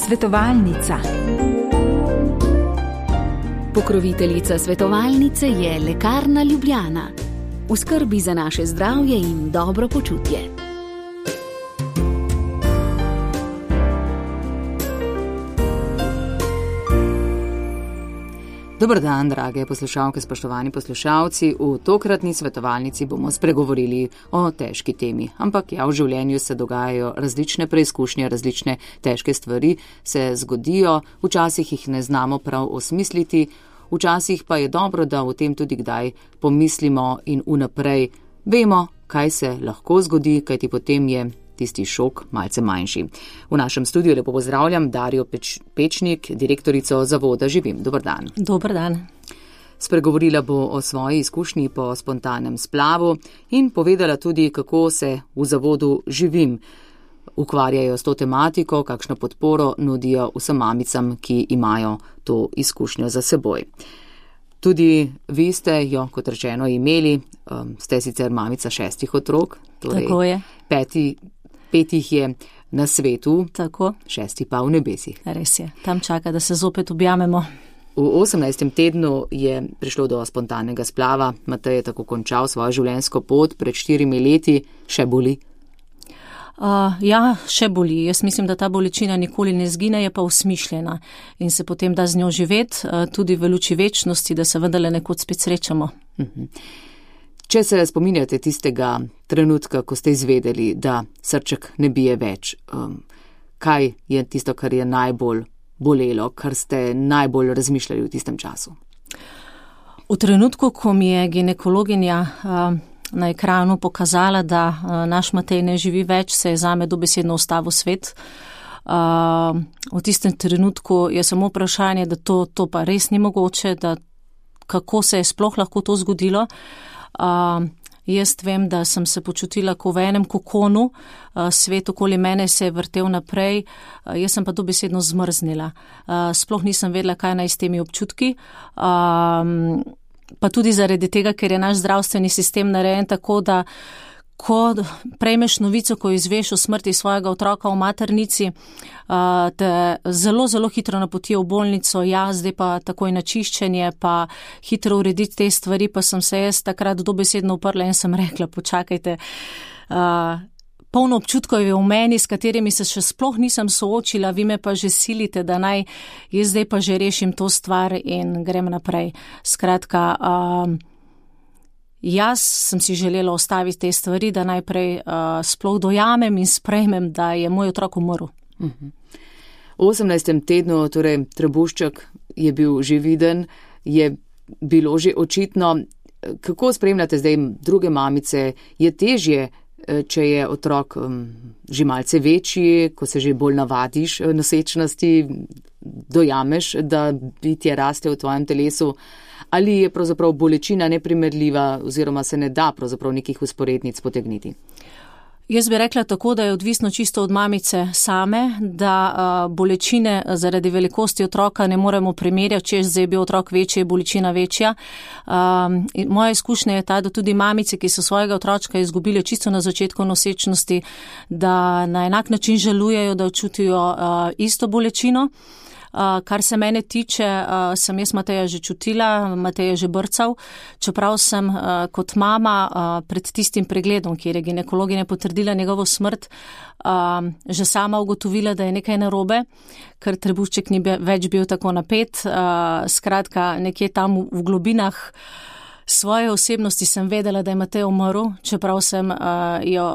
Svetovalnica. Pokroviteljica svetovalnice je Lekarna Ljubljana. V skrbi za naše zdravje in dobro počutje. Dober dan, drage poslušalke, spoštovani poslušalci. V tokratni svetovalnici bomo spregovorili o težki temi. Ampak v življenju se dogajajo različne preizkušnje, različne težke stvari se zgodijo, včasih jih ne znamo prav osmisliti, včasih pa je dobro, da o tem tudi kdaj pomislimo in vnaprej vemo, kaj se lahko zgodi, kajti potem je tisti šok malce manjši. V našem studiu lepo pozdravljam Darjo Pečnik, direktorico Zavoda Živim. Dober dan. Dober dan. Spregovorila bo o svoji izkušnji po spontanem splavu in povedala tudi, kako se v Zavodu Živim ukvarjajo s to tematiko, kakšno podporo nudijo vsem mamicam, ki imajo to izkušnjo za seboj. Tudi vi ste jo, kot rečeno, imeli, ste sicer mamica 6 otrok, torej tako je. 5 jih je na svetu, tako. 6 pa v nebesih. Res je, tam čaka, da se zopet objamemo. V 18. tednu je prišlo do spontanega splava. Matej je tako končal svojo življenjsko pot pred 4 leti. Še boli? Ja, še boli. Jaz mislim, da ta bolečina nikoli ne zgine, je pa usmišljena in se potem da z njo živeti, tudi v luči večnosti, da se vendarle nekoč spet srečamo. Če se spominjate tistega trenutka, ko ste izvedeli, da srček ne bije več, kaj je tisto, kar je najbolj bolelo, kar ste najbolj razmišljali v tistem času? V trenutku, ko mi je ginekologinja na ekranu pokazala, da naš Matej ne živi več, se je zame dobesedno ustavil svet. V tistem trenutku je samo vprašanje, da to pa res ni mogoče, da kako se je sploh lahko to zgodilo. Jaz vem, da sem se počutila kot v enem kokonu, svet okoli mene se je vrtel naprej, jaz sem pa dobesedno zmrznila. Sploh nisem vedela, kaj naj s temi občutki, pa tudi zaradi tega, ker je naš zdravstveni sistem narejen tako, da ko prejmeš novico, ko izveš o smrti svojega otroka v maternici, te zelo, zelo hitro napotijo v bolnico, zdaj pa takoj na čiščenje, pa hitro urediti te stvari, pa sem se jaz takrat dobesedno uprla in sem rekla, počakajte, polno občutkov je v meni, s katerimi se še sploh nisem soočila, vi me pa že silite, da naj jaz zdaj pa že rešim to stvar in grem naprej. Skratka, jaz sem si želela ostaviti te stvari, da najprej sploh dojamem in sprejmem, da je moj otrok umrl. V 18. tednu, torej trebušček je bil že viden, je bilo že očitno. Kako spremljate zdaj druge mamice? Je težje, če je otrok že malce večji, ko se že bolj navadiš nosečnosti, dojameš, da bitje raste v tvojem telesu? Ali je pravzaprav bolečina neprimerljiva oziroma se ne da pravzaprav nekih usporednic potegniti? Jaz bi rekla tako, da je odvisno čisto od mamice same, da bolečine zaradi velikosti otroka ne moremo primerjati, če zdaj je bil otrok večji, je bolečina večja. Moja izkušnja je ta, da tudi mamice, ki so svojega otročka izgubile čisto na začetku nosečnosti, da na enak način žalujejo, da čutijo isto bolečino. Kar se mene tiče, sem jaz Mateja že čutila, Matej je že brcal, čeprav sem kot mama pred tistim pregledom, kjer je ginekologinja potrdila njegovo smrt, že sama ugotovila, da je nekaj narobe, ker trebušček ni več bil tako napet. Skratka, nekje tam v globinah svoje osebnosti sem vedela, da je Matej umrl, čeprav sem jo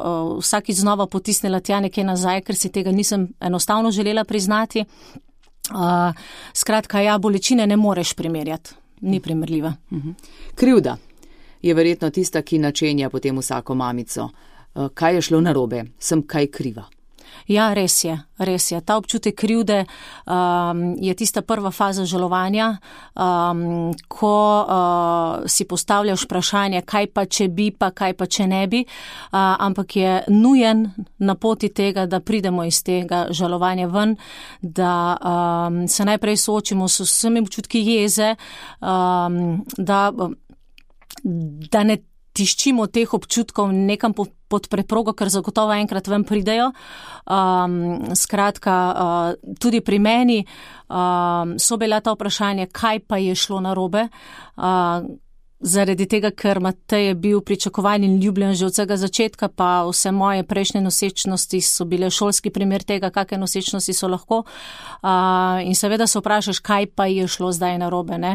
vsakič znova potisnila tja nekje nazaj, ker si tega nisem enostavno želela priznati. Skratka, bolečine ne moreš primerjati, ni primerljiva. Krivda je verjetno tista, ki načenja potem vsako mamico. Kaj je šlo narobe? Sem kaj kriva? Ja, res je. Ta občutek krivde je tista prva faza žalovanja, ko si postavljaš vprašanje, kaj pa če bi, pa kaj pa če ne bi, ampak je nujen na poti tega, da pridemo iz tega žalovanja ven, da se najprej soočimo s vsemi občutki jeze, da ne tiščimo teh občutkov nekam po pod preprogo, ker zagotovo enkrat ven pridejo. Skratka, tudi pri meni so bila ta vprašanja, kaj pa je šlo narobe. Zaradi tega, ker Matej je bil pričakovan in ljubljen že od vsega začetka, pa vse moje prejšnje nosečnosti so bile šolski primer tega, kakšne nosečnosti so lahko. In seveda se vprašaš, kaj pa je šlo zdaj narobe, ne.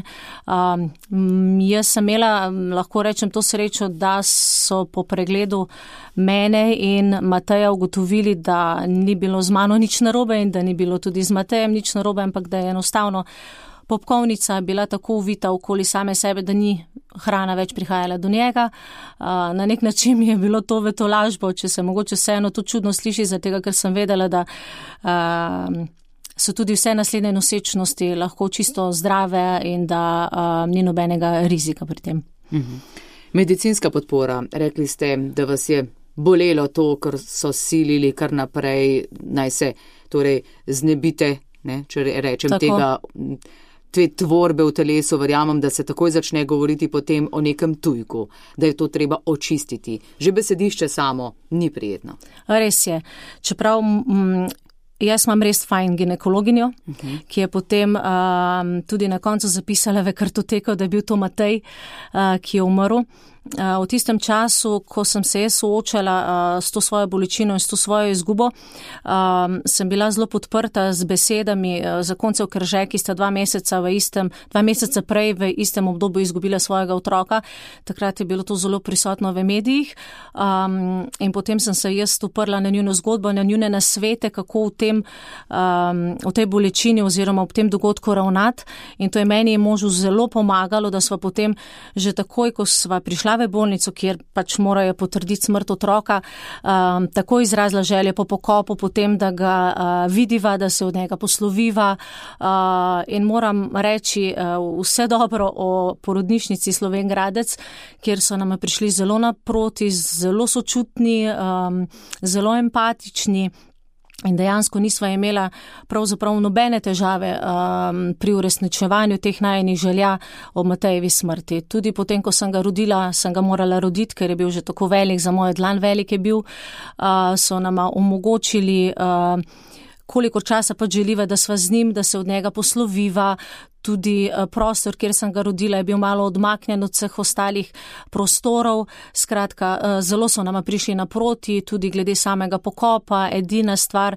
Jaz sem imela, lahko rečem, to srečo, da so po pregledu mene in Mateja ugotovili, da ni bilo z mano nič narobe in da ni bilo tudi z Matejem nič narobe, ampak da je enostavno popkovnica bila tako uvita okoli same sebe, da ni hrana več prihajala do njega. Na nek način mi je bilo to v tolažbo, če se mogoče vseeno to čudno sliši, zato ker sem vedela, da so tudi vse naslednje nosečnosti lahko čisto zdrave in da ni nobenega rizika pri tem. Medicinska podpora. Rekli ste, da vas je bolelo to, ker so silili kar naprej, naj se torej znebite, ne, če rečem tako. Te tvorbe v telesu, verjamem, da se takoj začne govoriti potem o nekem tujku, da je to treba očistiti. Že besedišče samo ni prijetno. Res je. Čeprav jaz imam res fajn ginekologinjo, ki je potem tudi na koncu zapisala v kartoteko, da je bil to Matej, ki je umrl. V tistem času, ko sem se soočala s to svojo bolečino in s to svojo izgubo, sem bila zelo podprta z besedami zakoncev Krže, ki sta 2 meseca prej v istem obdobju izgubila svojega otroka. Takrat je bilo to zelo prisotno v medijih in potem sem se jaz uprla na njuno zgodbo, na njune nasvete, kako v tej bolečini oziroma v tem dogodku ravnati, in to je meni in možu zelo pomagalo, da sva potem že takoj, ko sva prišla v bolnico, kjer pač morajo potrditi smrt otroka, tako izrazila želje po pokopu, potem, da ga vidiva, da se od njega posloviva, in moram reči vse dobro o porodnišnici Slovenj Gradec, kjer so nama prišli zelo naproti, zelo sočutni, zelo empatični. In dejansko nisva imela pravzaprav nobene težave pri uresničevanju teh najinih želja o Matejevi smrti. Tudi potem, ko sem ga rodila, sem ga morala roditi, ker je bil že tako velik, za mojo dlan velik je bil, so nama omogočili, koliko časa pa želiva, da sva z njim, da se od njega posloviva. Tudi prostor, kjer sem ga rodila, je bil malo odmaknjen od vseh ostalih prostorov. Skratka, zelo so nama prišli naproti, tudi glede samega pokopa. Edina stvar,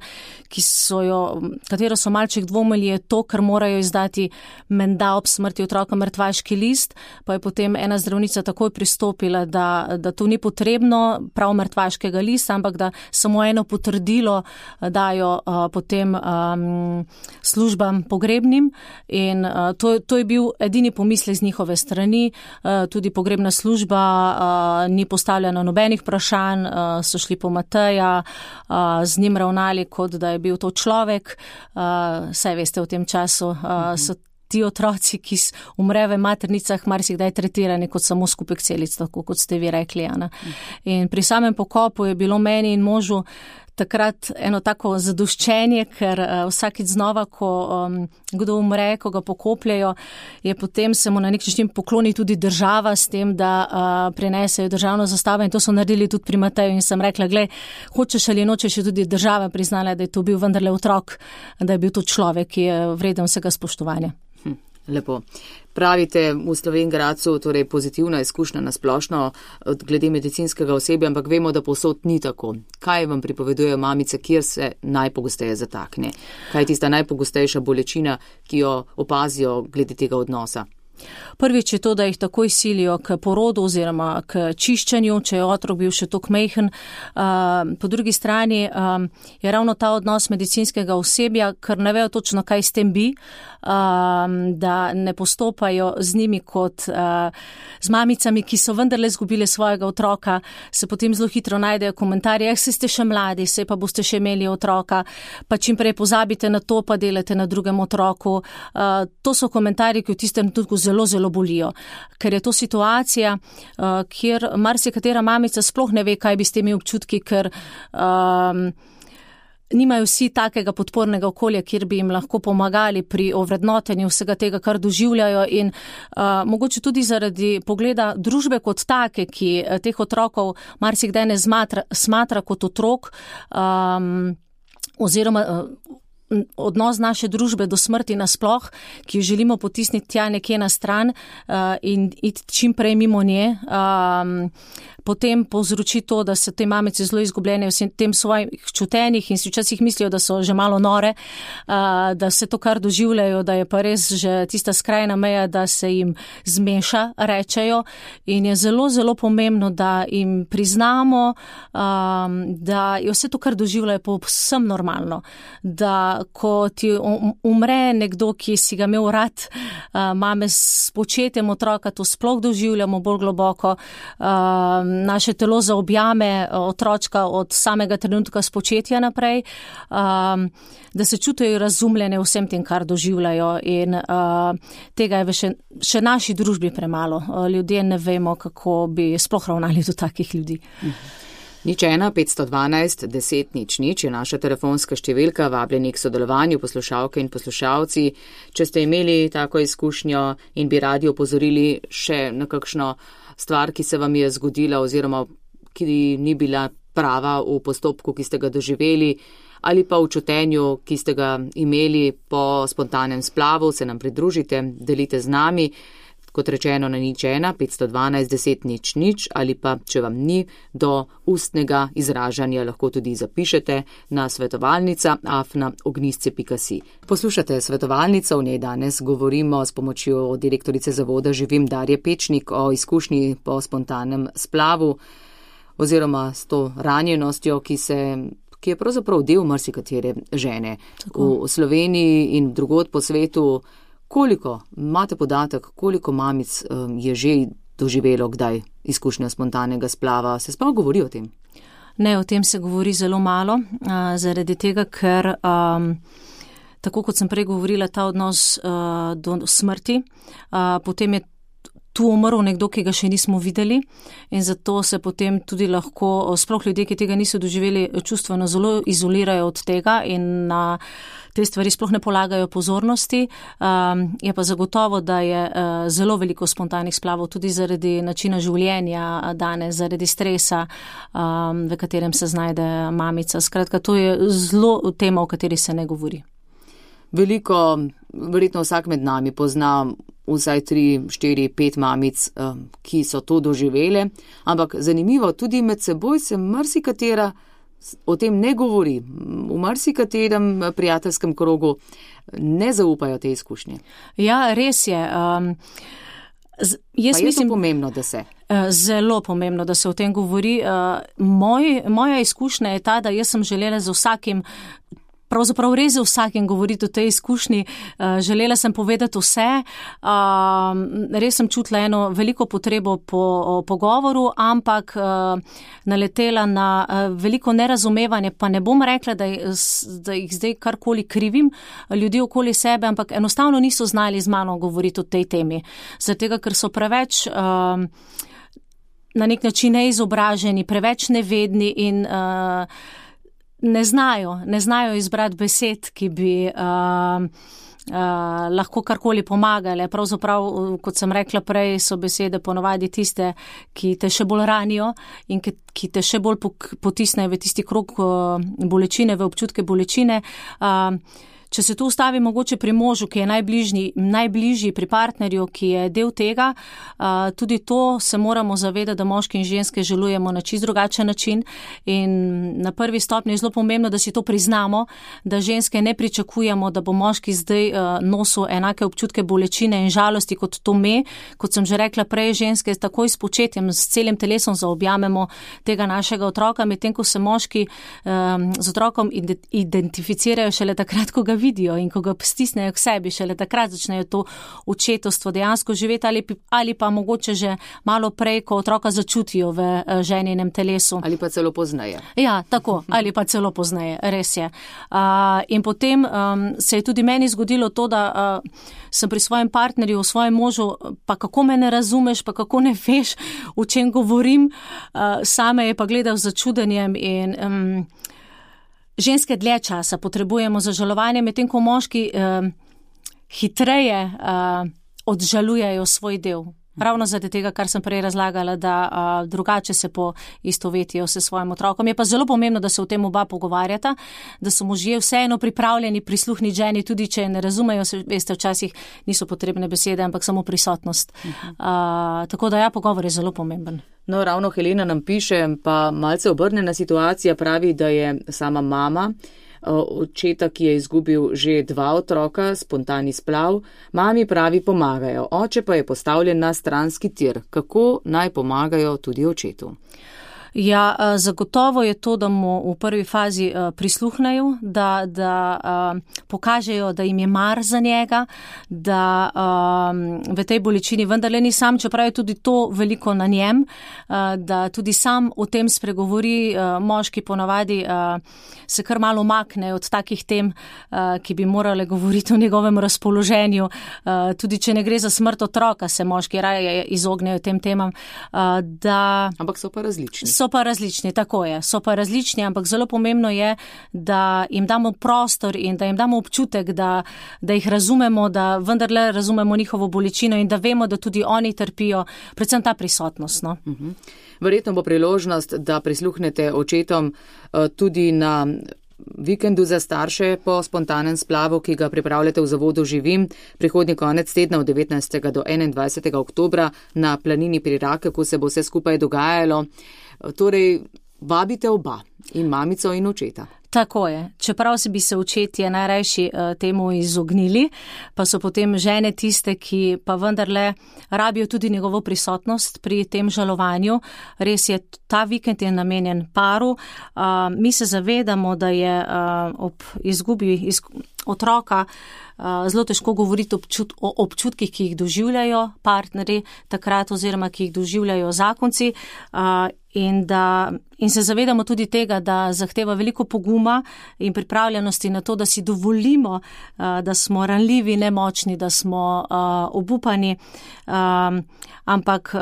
katero so malček dvomili, je to, ker morajo izdati menda ob smrti otroka mrtvaški list, pa je potem ena zdravnica takoj pristopila, da to ni potrebno, prav mrtvaškega lista, ampak da samo eno potrdilo dajo potem službam pogrebnim. In to je bil edini pomislek z njihove strani. Tudi pogrebna služba ni postavljena nobenih vprašanj, so šli po Mateja, z njim ravnali, kot da je bil to človek. Saj veste, v tem času so ti otroci, ki umre v maternicah, marsikdaj tretirani kot samo skupek celic, tako kot ste vi rekli, Ana. In pri samem pokopu je bilo meni in možu takrat eno tako zadoščenje, ker vsakič znova, ko kdo umre, ko ga pokopljajo, je potem se mu na nek način pokloni tudi država s tem, da prinesejo državno zastavo, in to so naredili tudi pri Mateju, in sem rekla, glej, hočeš ali nočeš, je tudi država priznala, da je to bil vendarle otrok, da je bil to človek, ki je vreden vsega spoštovanja. Lepo. Pravite v Slovenj Gradcu, torej pozitivna izkušnja na splošno glede medicinskega osebja, ampak vemo, da povsod ni tako. Kaj vam pripovedujejo mamice, kjer se najpogosteje zatakne? Kaj je tista najpogostejša bolečina, ki jo opazijo glede tega odnosa? Prvič je to, da jih takoj silijo k porodu oziroma k čiščenju, če je otrok bil še toliko majhen. Po drugi strani je ravno ta odnos medicinskega osebja, ker ne vejo točno, kaj s tem bi, da ne postopajo z njimi kot z mamicami, ki so vendarle izgubile svojega otroka, se potem zelo hitro najdejo komentarje, se ste še mladi, se pa boste še imeli otroka, pa čim prej pozabite na to, pa delate na drugem otroku. To so komentarji, ki v tistem trenutku zelo, zelo bolijo, ker je to situacija, kjer marsikatera mamica sploh ne ve, kaj bi s temi občutki, ker nimajo vsi takega podpornega okolja, kjer bi jim lahko pomagali pri ovrednotenju vsega tega, kar doživljajo in mogoče tudi zaradi pogleda družbe kot take, ki teh otrokov marsikdaj ne smatra kot otrok, oziroma odnos naše družbe do smrti nasploh, ki jo želimo potisniti tja nekje na stran in iti čim prej mimo nje, potem povzroči to, da se te mamice zelo izgubljene v tem svojih čutenjih in si včasih mislijo, da so že malo nore, da se to, kar doživljajo, da je pa res že tista skrajna meja, da se jim zmeša, rečejo, in je zelo, zelo pomembno, da jim priznamo, da je vse to, kar doživljajo, povsem normalno, da ko ti umre nekdo, ki si ga imel rad, mame s početjem otroka to sploh doživljamo bolj globoko, naše telo zaobjame otročka od samega trenutka spočetja naprej, da se čutijo razumljene vsem tem, kar doživljajo, in tega je še naši družbi premalo. Ljudje ne vemo, kako bi sploh ravnali do takih ljudi. 01 512 10 00 je naša telefonska številka, vabljeni k sodelovanju poslušalke in poslušalci. Če ste imeli tako izkušnjo in bi radi opozorili še na kakšno stvar, ki se vam je zgodila oziroma ki ni bila prava v postopku, ki ste ga doživeli, ali pa v čutenju, ki ste ga imeli po spontanem splavu, se nam pridružite, delite z nami. Kot rečeno na 01 512 10 00 ali pa, če vam ni do ustnega izražanja, lahko tudi zapišete na svetovalnica@ognisce.si. Poslušate Svetovalnico, v njej danes govorimo s pomočjo direktorice zavoda Živim Darje Pečnik o izkušnji po spontanem splavu oziroma s to ranjenostjo, ki je pravzaprav del marsikatere žene. Tako. V Sloveniji in drugod po svetu. Koliko, imate podatek, koliko mamic je že doživelo kdaj izkušnjo spontanega splava? Se sploh govori o tem? Ne, o tem se govori zelo malo, zaradi tega, ker tako kot sem prej govorila, ta odnos do smrti, potem je tu umrl nekdo, ki ga še nismo videli, in zato se potem tudi lahko, sploh ljudje, ki tega niso doživeli, čustveno zelo izolirajo od tega in na te stvari sploh ne polagajo pozornosti. Je pa zagotovo, da je zelo veliko spontanih splavov tudi zaradi načina življenja danes, zaradi stresa, v katerem se znajde mamica. Skratka, to je zelo tema, o kateri se ne govori. Veliko, verjetno vsak med nami pozna vsaj 3, 4, 5 mamic, ki so to doživele, ampak zanimivo, tudi med seboj se marsikatera o tem ne govori. V marsikaterem prijateljskem krogu ne zaupajo te izkušnje. Ja, res je. Jaz mislim, pomembno, da se. Zelo pomembno, da se o tem govori. Moja izkušnja je ta, da jaz sem želela z vsakim, pravzaprav res z vsakim govoriti o tej izkušnji. Želela sem povedati vse, res sem čutila eno veliko potrebo po pogovoru, ampak naletela na veliko nerazumevanje, pa ne bom rekla, da jih zdaj karkoli krivim ljudi okoli sebe, ampak enostavno niso znali z mano govoriti o tej temi. Zato, ker so preveč na nek način neizobraženi, preveč nevedni in ne znajo izbrati besed, ki bi lahko karkoli pomagale. Pravzaprav, kot sem rekla prej, so besede ponovadi tiste, ki te še bolj ranijo in ki te še bolj potisnejo v tisti krog bolečine, v občutke bolečine. Če se tu ustavi mogoče pri možu, ki je najbližji pri partnerju, ki je del tega, tudi to se moramo zavedati, da moški in ženske želujemo na čisto drugačen način in na prvi stopnji je zelo pomembno, da si to priznamo, da ženske ne pričakujemo, da bo moški zdaj nosil enake občutke bolečine in žalosti kot to me. Kot sem že rekla prej, ženske takoj s početjem, s celim telesom zaobjamemo tega našega otroka, medtem ko se moški z otrokom identificirajo šele takrat, ko ga vidijo in ko ga stisnejo k sebi, šele takrat začnejo to očetovstvo dejansko živeti ali pa mogoče že malo prej, ko otroka začutijo v ženinem telesu. Ali pa celo pozneje. Ja, tako, ali pa celo pozneje, res je. In potem se je tudi meni zgodilo to, da sem pri svojem partnerju, v svojem možu, pa kako me ne razumeš, pa kako ne veš, o čem govorim, same je pa gledal z začudenjem in ženske dlje časa potrebujemo za žalovanje, medtem ko moški hitreje odžalujejo svoj del. Ravno zaradi tega, kar sem prej razlagala, da drugače se poistovetijo s svojim otrokom. Je pa zelo pomembno, da se o tem oba pogovarjata, da so možje vseeno pripravljeni prisluhniti ženi, tudi če ne razumejo, veste, včasih niso potrebne besede, ampak samo prisotnost. Tako da pogovor je zelo pomemben. No, ravno Helena nam piše, pa malce obrnjena situacija, pravi, da je sama mama očeta, ki je izgubil že 2 otroka, spontani splav. Mami pravi, pomagajo, oče pa je postavljen na stranski tir. Kako naj pomagajo tudi očetu? Ja, zagotovo je to, da mu v prvi fazi prisluhnejo, da pokažejo, da jim je mar za njega, da v tej bolečini vendarle ni sam, čeprav je tudi to veliko na njem, da tudi sam o tem spregovori. Moški ponavadi se kar malo umakne od takih tem, ki bi morale govoriti o njegovem razpoloženju. Tudi če ne gre za smrt otroka, se moški raje izognejo tem temam. Ampak so pa različni. So pa različni, tako je. So pa različni, ampak zelo pomembno je, da jim damo prostor in da jim damo občutek, da jih razumemo, da vendarle razumemo njihovo bolečino in da vemo, da tudi oni trpijo, predvsem ta prisotnost. No? Verjetno bo priložnost, da prisluhnete očetom tudi na vikendu za starše po spontanem splavu, ki ga pripravljate v Zavodu Živim, prihodnji konec tedna od 19. do 21. oktobra na planini pri Rakeku se bo vse skupaj dogajalo. Torej, vabite oba, in mamico in očeta. Tako je. Čeprav bi se očetje najrajši temu izognili, pa so potem žene tiste, ki pa vendarle rabijo tudi njegovo prisotnost pri tem žalovanju. Res je, ta vikend je namenjen paru. Mi se zavedamo, da je ob izgubi otroka zelo težko govoriti o občutkih, ki jih doživljajo partnerji takrat oziroma ki jih doživljajo zakonci. In se zavedamo tudi tega, da zahteva veliko poguma in pripravljenosti na to, da si dovolimo, da smo ranljivi, nemočni, da smo obupani, ampak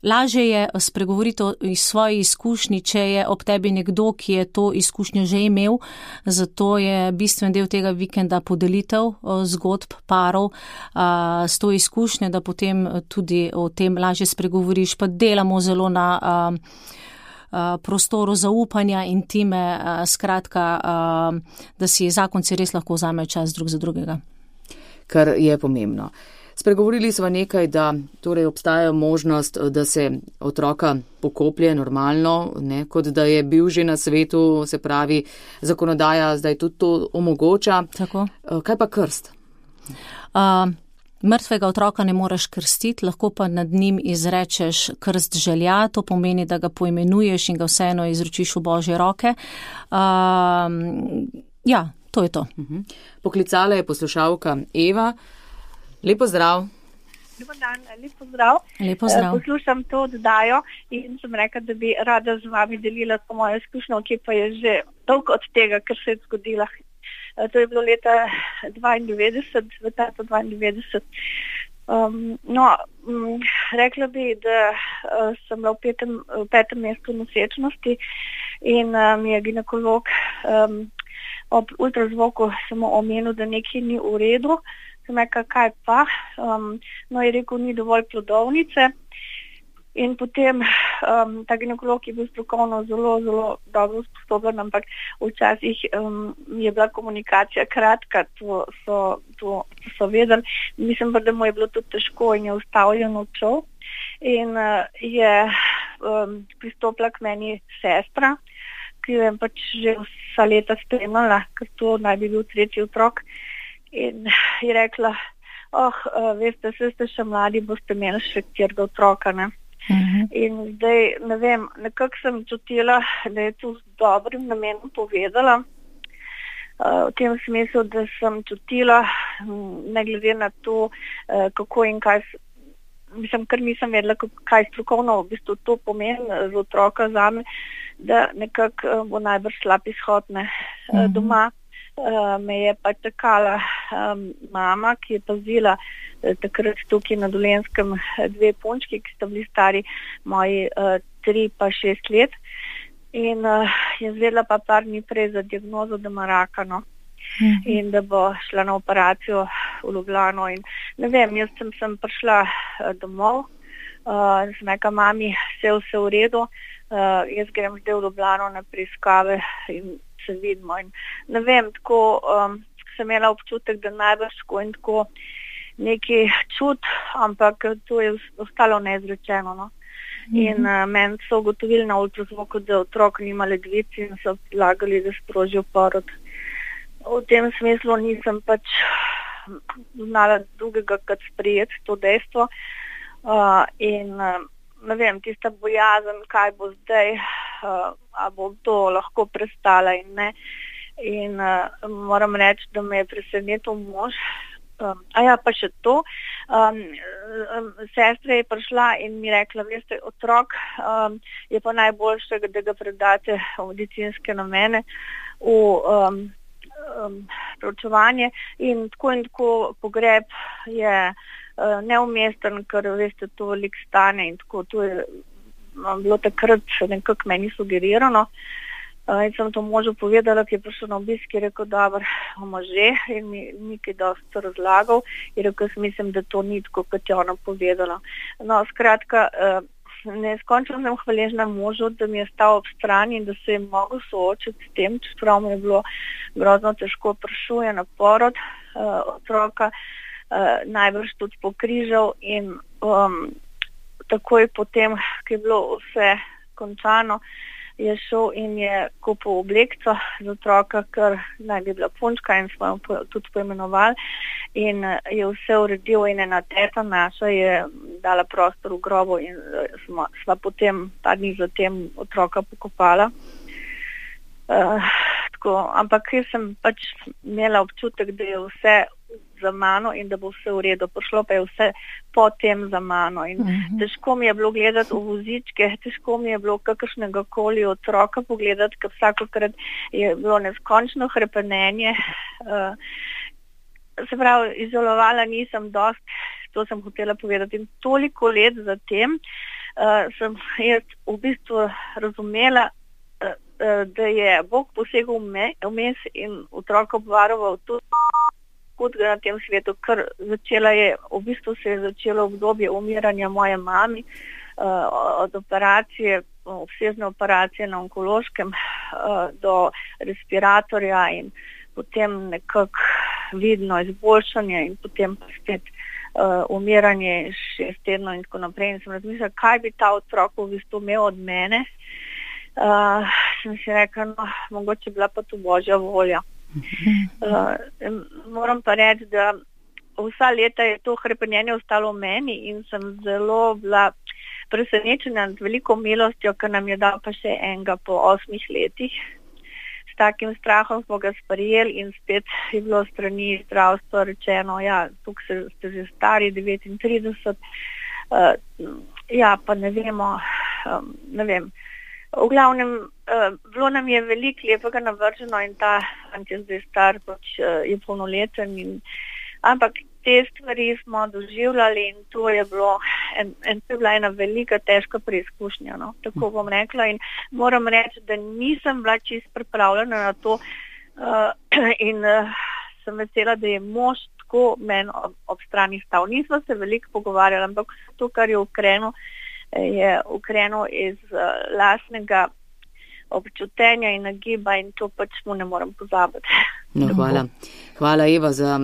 lažje je spregovoriti iz svoje izkušnji, če je ob tebi nekdo, ki je to izkušnjo že imel. Zato je bistven del tega vikenda podelitev zgodb parov s to izkušnjo, da potem tudi o tem lažje spregovoriš. Pa delamo zelo na prostoru zaupanja, intime, skratka, da si zakonci res lahko vzamejo čas drug za drugega. Kar je pomembno. Spregovorili smo nekaj, da torej obstaja možnost, da se otroka pokoplje normalno, ne, kot da je bil že na svetu, se pravi, zakonodaja zdaj tudi to omogoča. Tako. Kaj pa krst? Mrtvega otroka ne moreš krstiti, lahko pa nad njim izrečeš krst želja, to pomeni, da ga poimenuješ in ga vseeno izročiš v Božje roke. Ja, to je to. Poklicala je poslušalka Eva. Lepo zdrav. Dobar dan, lepo zdrav. Lepo zdrav. Poslušam to oddajo in sem rekla, da bi rada z vami delila to mojo izkušnjo, ki pa je že dolgo od tega, kar se je zgodila. To je bilo leta 92, v tatu 92. Rekla bi, da sem bila v petem mesecu nosečnosti in mi je ginekolog ob ultrazvoku samo omenil, da nekaj ni v redu. Sem rekla, kaj pa? Je rekel, ni dovolj plodovnice. In potem ta ginekolog je bil strokovno zelo, zelo dobro sposoben, ampak včasih je bila komunikacija kratka, to so vedeli. Mislim pa, da mu je bilo tudi težko in je ustavljeno odšel. In je pristopila k meni sestra, ki jo je pač že vsa leta spremljala, ker to naj bi bil 3. otrok. In je rekla, veste, saj ste še mladi, boste imeli še 4. otroka, ne? In zdaj, ne vem, nekako sem čutila, da je to z dobrim namenom povedala, v tem smislu, da sem čutila, ne glede na to, kako in kaj, mislim, ker nisem vedela, kaj strokovno v bistvu to pomeni za otroka zame, da nekako bo najbrž slab izhod, ne, doma. Me je pa čakala mama, ki je pazila takrat tukaj na Dolenjskem 2 punčki, ki sta bili stari moji 3 pa 6 let. in je zvedla pa par dni prej za diagnozo, da ima raka, no. In da bo šla na operacijo v Ljubljano. In ne vem, jaz sem prišla domov, sem rekla mami, vse v redu, jaz grem zdaj v Ljubljano na preiskave in se vidimo. In ne vem, tako sem imela občutek, da najbrž tako in tako neki čut, ampak to je ostalo neizrečeno, no. In meni so ugotovili na ultrazvoku, da otrok nima ledvic in so predlagali, da sprožijo porod. V tem smislu nisem pač znala drugega kot sprejeti to dejstvo. In ne vem, tista bojazen, kaj bo zdaj, a bo to lahko prestala in ne. In moram reči, da me je presenetil mož. Pa še to. Sestra je prišla in mi rekla, veste, otrok je pa najboljše, da ga predate v medicinske namene, v preučevanje in tako pogreb je neumesten, ker veste, to veliko stane in tako, to je bilo takrat nekako meni sugerirano. In sem to možu povedala, ki je prišel na obisk, je rekel, dobro, bomo že, in mi nekaj dosti razlagal, je rekel, mislim, da to ni tako, kot je ona povedala. No, skratka, neskončno sem hvaležna možu, da mi je stal ob strani in da se je mogel soočiti s tem, čeprav mu je bilo grozno težko, prišel je na porod otroka, najbrž tudi pokrižal in takoj potem, ko je bilo vse končano, je šel in je kupil oblekco za otroka, ker naj bi bila punčka in smo jo tudi poimenovali in je vse uredil in ena teta naša je dala prostor v grobu in sva potem ta dni zatem otroka pokopala. Ampak jaz sem pač imela občutek, da je vse za mano in da bo vse v redu. Prišlo pa je vse potem za mano in težko mi je bilo gledati v vozičke, težko mi je bilo kakršnega koli otroka pogledati, ker vsakokrat je bilo neskončno hrepenenje. Se pravi, izolovala nisem dosti, to sem hotela povedati. In toliko let zatem sem jaz v bistvu razumela, da je Bog posegel vmes in otroka obvaroval tudi na tem svetu, ker v bistvu se je začelo obdobje umiranja moje mami, od operacije, obsežne operacije na onkološkem do respiratorja in potem nekako vidno izboljšanje in potem spet umiranje 6 tednov in tako naprej. In sem razmišljala, kaj bi ta otrok v bistvu imel od mene. Sem si rekla, no, mogoče bila pa to Božja volja. Moram pa reči, da vsa leta je to hrepenenje ostalo v meni in sem zelo bila presenečena nad veliko milostjo, ker nam je dal pa še enega po 8 letih. S takim strahom smo ga sprejeli in spet je bilo strani zdravstva rečeno, ja, tukaj ste že stari 39, pa ne vemo, ne vem. V glavnem, bilo nam je veliko lepega navrženo in ta fant je zdaj star, pač je polnoleten, ampak te stvari smo doživljali in to je bilo bila ena velika, težka preizkušnja, no? Tako bom rekla in moram reči, da nisem bila čisto pripravljena na to in sem vesela, da je mož tako meni ob strani stal. Nismo se veliko pogovarjali, ampak to, kar je ukrenil iz lastnega občutenja in nagiba in to pač mu ne morem pozabiti. No, hvala Eva za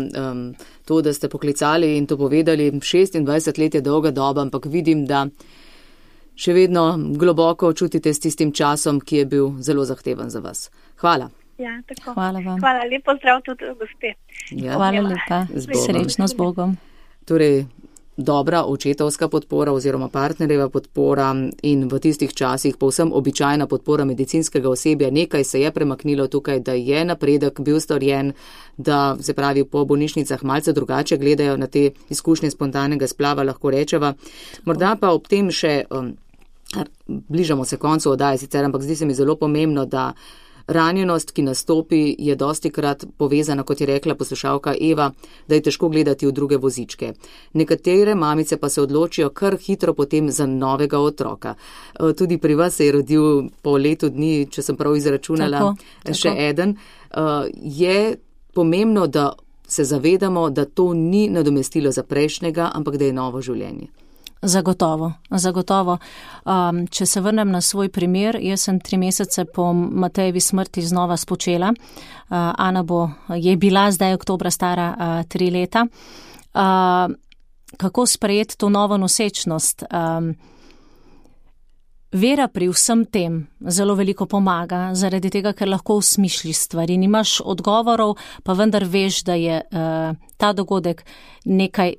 to, da ste poklicali in to povedali. 26 let je dolga doba, ampak vidim, da še vedno globoko čutite s tistim časom, ki je bil zelo zahteven za vas. Hvala. Ja, tako. Hvala vam. Hvala, lepo zdrav tudi gospe. Ja. Hvala lepa. Srečno z Bogom. Torej, dobra očetovska podpora oziroma partnerjeva podpora in v tistih časih povsem običajna podpora medicinskega osebja. Nekaj se je premaknilo tukaj, da je napredek bil storjen, da se pravi po bolnišnicah malce drugače gledajo na te izkušnje spontanega splava, lahko rečeva. Morda pa ob tem še, bližamo se koncu oddaje sicer, ampak zdi se mi zelo pomembno, da ranjenost, ki nastopi, je dostikrat povezana, kot je rekla poslušalka Eva, da je težko gledati v druge vozičke. Nekatere mamice pa se odločijo kar hitro potem za novega otroka. Tudi pri vas se je rodil po letu dni, če sem prav izračunala, še eden. Je pomembno, da se zavedamo, da to ni nadomestilo za prejšnjega, ampak da je novo življenje. Zagotovo. Če se vrnem na svoj primer, jaz sem 3 mesece po Matejevi smrti znova spočela. Ana je bila zdaj oktobra stara 3 leta. Kako sprejeti to novo nosečnost? Vera pri vsem tem zelo veliko pomaga, zaradi tega, ker lahko usmišljiš stvari. Nimaš odgovorov, pa vendar veš, da je ta dogodek nekaj,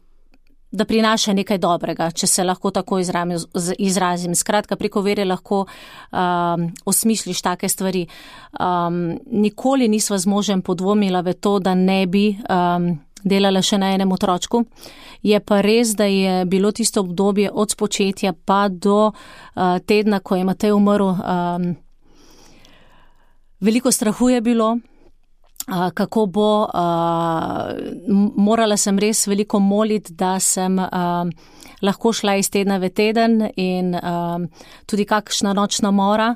da prinaša nekaj dobrega, če se lahko tako izrazim. Skratka, preko vere lahko osmišljiš take stvari. Nikoli nisva z možem podvomila v to, da ne bi delala še na enem otročku. Je pa res, da je bilo tisto obdobje od spočetja pa do tedna, ko je Matej umrl. Veliko strahu je bilo, kako bo. Morala sem res veliko moliti, da sem lahko šla iz tedna v teden in tudi kakšna nočna mora,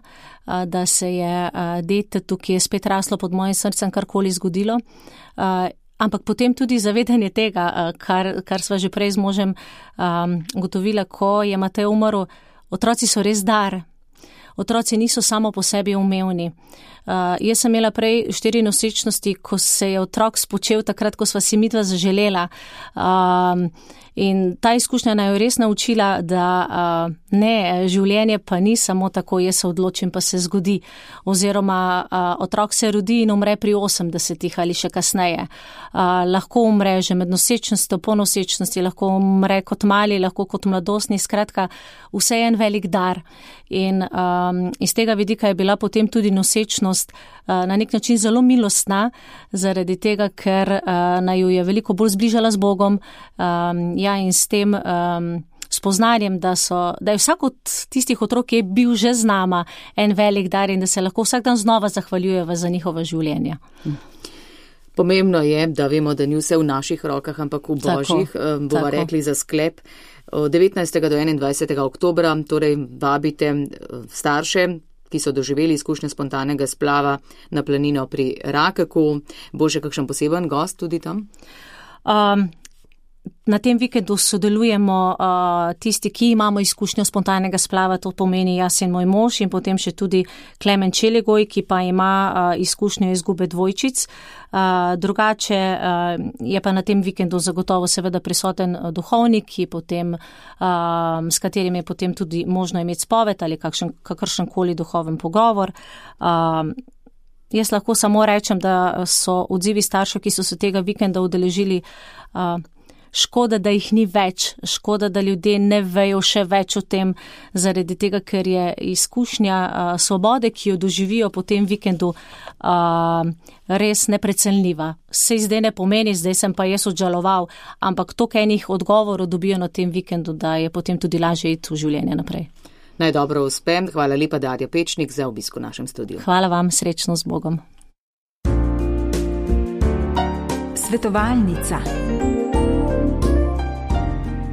da se je detetu, ki je spet raslo pod mojim srcem, karkoli zgodilo. Ampak potem tudi zavedanje tega, kar sva že prej z možem ugotovila, ko je Matej umrl, otroci so res dar. Otroci niso samo po sebi umevni. Jaz sem imela prej 4 nosečnosti, ko se je otrok spočel takrat, ko sva si midva zaželela. In ta izkušnja naj jo res naučila, da ne, življenje pa ni samo tako, jaz se odločim, pa se zgodi. Oziroma, otrok se rodi in umre pri 80 ali še kasneje. Lahko umre že med nosečnostjo, po nosečnosti, lahko umre kot mali, lahko kot mladostni, skratka, vse je en velik dar. In iz tega vidika je bila potem tudi nosečnost na nek način zelo milostna, zaradi tega, ker naju je veliko bolj zbližala z Bogom, in s tem spoznanjem, da je vsak od tistih otrok, ki je bil že z nama, en velik dar in da se lahko vsak dan znova zahvaljujeva za njihova življenja. Pomembno je, da vemo, da ni vse v naših rokah, ampak v Božjih. Bova rekli za sklep. Od 19. do 21. oktobra torej vabite starše, ki so doživeli izkušnje spontanega splava na planino pri Rakeku. Bo še kakšen poseben gost tudi tam? Na tem vikendu sodelujemo tisti, ki imamo izkušnjo spontanega splava, to pomeni jaz in moj mož in potem še tudi Klemen Čelegoj, ki pa ima izkušnjo izgube dvojčic. Drugače je pa na tem vikendu zagotovo seveda prisoten duhovnik, s katerim je potem tudi možno imeti spoved ali kakršenkoli duhoven pogovor. Jaz lahko samo rečem, da so odzivi staršev, ki so se tega vikenda udeležili, škoda, da jih ni več, škoda, da ljudje ne vejo še več o tem, zaradi tega, ker je izkušnja svobode, ki jo doživijo po tem vikendu, res neprecenljiva. Se zdaj ne pomeni, zdaj sem pa jaz odžaloval, ampak toliko enih odgovorov dobijo na tem vikendu, da je potem tudi lažje iti v življenje naprej. Naj dobro uspe. Hvala lepa, Darja Pečnik, za obisk v našem studiu. Hvala vam, srečno z Bogom. Svetovalnica.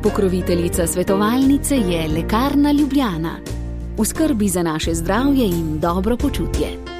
Pokroviteljica svetovalnice je Lekarna Ljubljana. V skrbi za naše zdravje in dobro počutje.